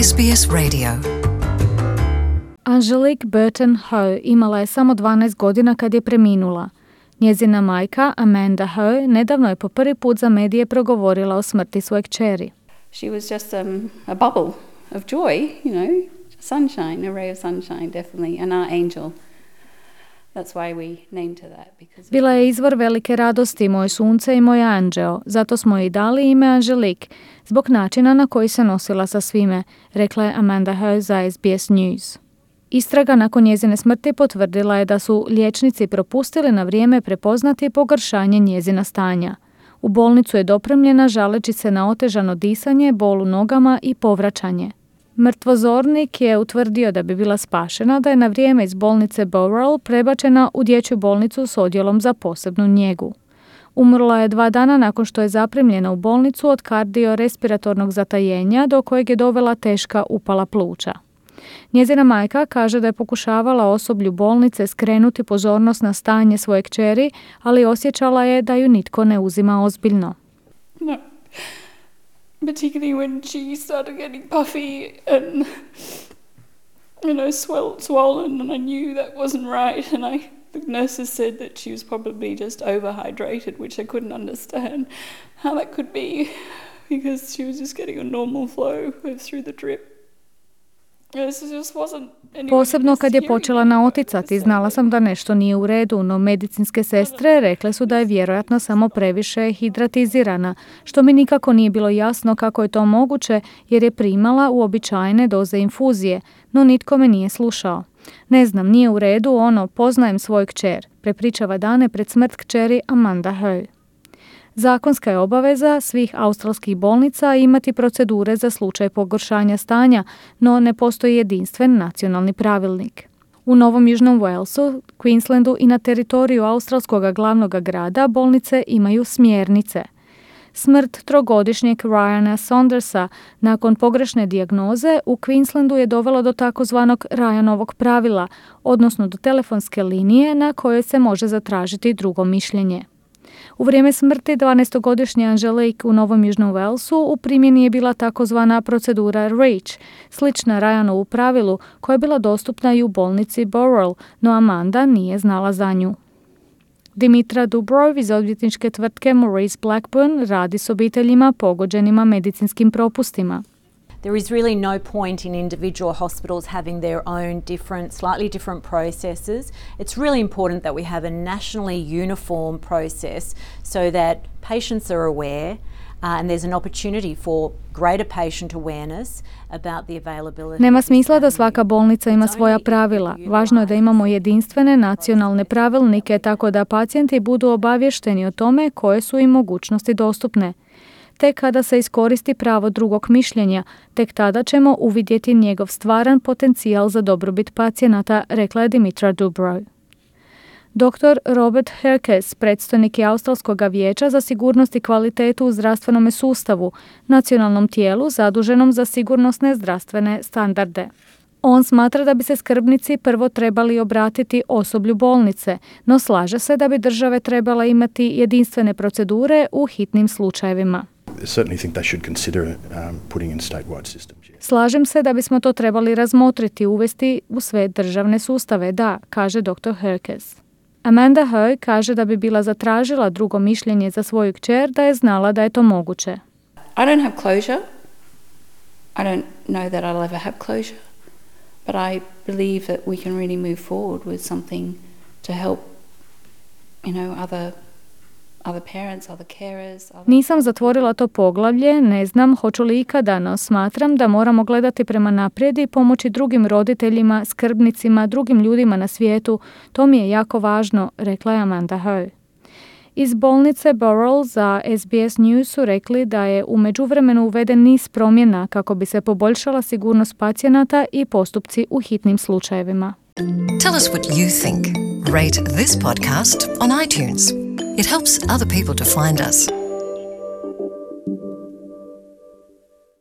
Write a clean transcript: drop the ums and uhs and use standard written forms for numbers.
SBS Radio. Angelique Burton Ho imala je samo 12 godina kad je preminula. Njezina majka, Amanda Ho, nedavno je po prvi put za medije progovorila o smrti svoje kćeri. She was just a bubble of joy, sunshine, a ray of sunshine, definitely, and our angel. That's why we named her that. Bila je izvor velike radosti, moje sunce i moj anđeo, zato smo joj dali ime Angelique, zbog načina na koji se nosila sa svime, rekla je Amanda Ho za SBS News. Istraga nakon njezine smrti potvrdila je da su liječnici propustili na vrijeme prepoznati pogoršanje njezina stanja. U bolnicu je dopremljena žaleći se na otežano disanje, bol u nogama i povraćanje. Mrtvozornik je utvrdio da bi bila spašena da je na vrijeme iz bolnice Bowral prebačena u dječju bolnicu s odjelom za posebnu njegu. Umrla je 2 dana nakon što je zaprimljena u bolnicu od kardiorespiratornog zatajenja do kojeg je dovela teška upala pluća. Njezina majka kaže da je pokušavala osoblju bolnice skrenuti pozornost na stanje svoje kćeri, ali osjećala je da ju nitko ne uzima ozbiljno. No. Particularly when she started getting puffy and, swollen, and I knew that wasn't right, and the nurses said that she was probably just overhydrated, which I couldn't understand how that could be, because she was just getting a normal flow through the drip. Posebno kad je počela naoticati, znala sam da nešto nije u redu, no medicinske sestre rekle su da je vjerojatno samo previše hidratizirana, što mi nikako nije bilo jasno kako je to moguće jer je primala uobičajene doze infuzije, no nitko me nije slušao. Ne znam, nije u redu, poznajem svoju kćer, prepričava dane pred smrt kćeri Amanda Ho. Zakonska je obaveza svih australskih bolnica imati procedure za slučaj pogoršanja stanja, no ne postoji jedinstven nacionalni pravilnik. U Novom Južnom Walesu, Queenslandu i na teritoriju australskog glavnog grada bolnice imaju smjernice. Smrt 3-godišnjeg Ryana Saundersa nakon pogrešne dijagnoze u Queenslandu je dovelo do takozvanog Ryanovog pravila, odnosno do telefonske linije na kojoj se može zatražiti drugo mišljenje. U vrijeme smrti 12-godišnje Angelique u Novom Južnom Walesu u primjeni je bila takozvana procedura REACH, slična Ryanovu pravilu koja je bila dostupna i u bolnici Bowral, no Amanda nije znala za nju. Dimitra Dubrov iz odvjetničke tvrtke Maurice Blackburn radi s obiteljima pogođenima medicinskim propustima. There is really no point in individual hospitals having their own slightly different processes. It's really important that we have a nationally uniform process so that patients are aware and there's an opportunity for greater patient awareness about the availability. Nema smisla da svaka bolnica ima svoja pravila. Važno je da imamo jedinstvene nacionalne pravilnike tako da pacijenti budu obavješteni o tome koje su im mogućnosti dostupne. Tek kada se iskoristi pravo drugog mišljenja, tek tada ćemo uvidjeti njegov stvaran potencijal za dobrobit pacijenata, rekla je Dimitra Dubrov. Dr. Robert Herkes, predstojnik je Australskog vijeća za sigurnost i kvalitetu u zdravstvenom sustavu, nacionalnom tijelu zaduženom za sigurnosne zdravstvene standarde. On smatra da bi se skrbnici prvo trebali obratiti osoblju bolnice, no slaže se da bi države trebala imati jedinstvene procedure u hitnim slučajevima. Slažem se da bismo to trebali razmotriti, uvesti u sve državne sustave, da, kaže dr. Herkes. Amanda Ho kaže da bi bila zatražila drugo mišljenje za svoju kćer da je znala da je to moguće. I don't have closure. I don't know that I'll ever have closure. But I believe that we can really move forward with something to help, other parents, other carers. Nisam zatvorila to poglavlje, ne znam hoću li ikada, no smatram da moramo gledati prema naprijed i pomoći drugim roditeljima, skrbnicima, drugim ljudima na svijetu. To mi je jako važno, rekla je Amanda Ho. Iz bolnice Bowral za SBS News su rekli da je u međuvremenu uveden niz promjena kako bi se poboljšala sigurnost pacijenata i postupci u hitnim slučajevima. Tell us what you think. Rate this podcast on iTunes. It helps other people to find us.